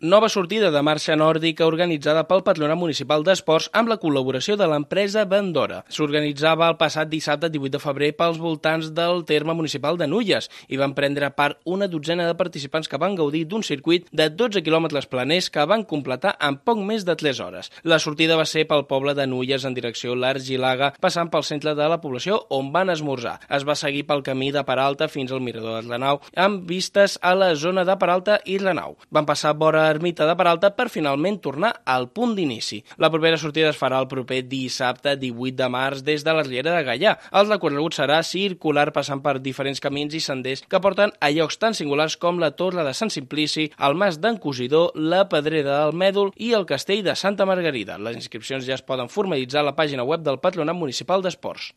Nova sortida de marxa nòrdica organitzada pel Patronat Municipal d'Esports amb la col·laboració de l'empresa Bandora. S'organitzava el passat dissabte 18 de febrer pels voltants del terme municipal de Nulles i van prendre part una dotzena de participants que van gaudir d'un circuit de 12 quilòmetres planers que van completar en poc més de 3 hores. La sortida va ser pel poble de Nulles en direcció l'Argilaga, passant pel centre de la població on van esmorzar. Es va seguir pel camí de Peralta fins al mirador de Renau amb vistes a la zona de Peralta i Renau. Van passar vora Ermita de Peralta per finalment tornar al punt d'inici. La propera sortida es farà el proper dissabte 18 de març des de la Riera de Gaià. El recorregut serà circular passant per diferents camins i senders que porten a llocs tan singulars com la Torre de Sant Simplici, el Mas d'en Cosidor, la Pedrera del Mèdol i el Castell de Santa Margarida. Les inscripcions ja es poden formalitzar a la pàgina web del Patronat Municipal d'Esports.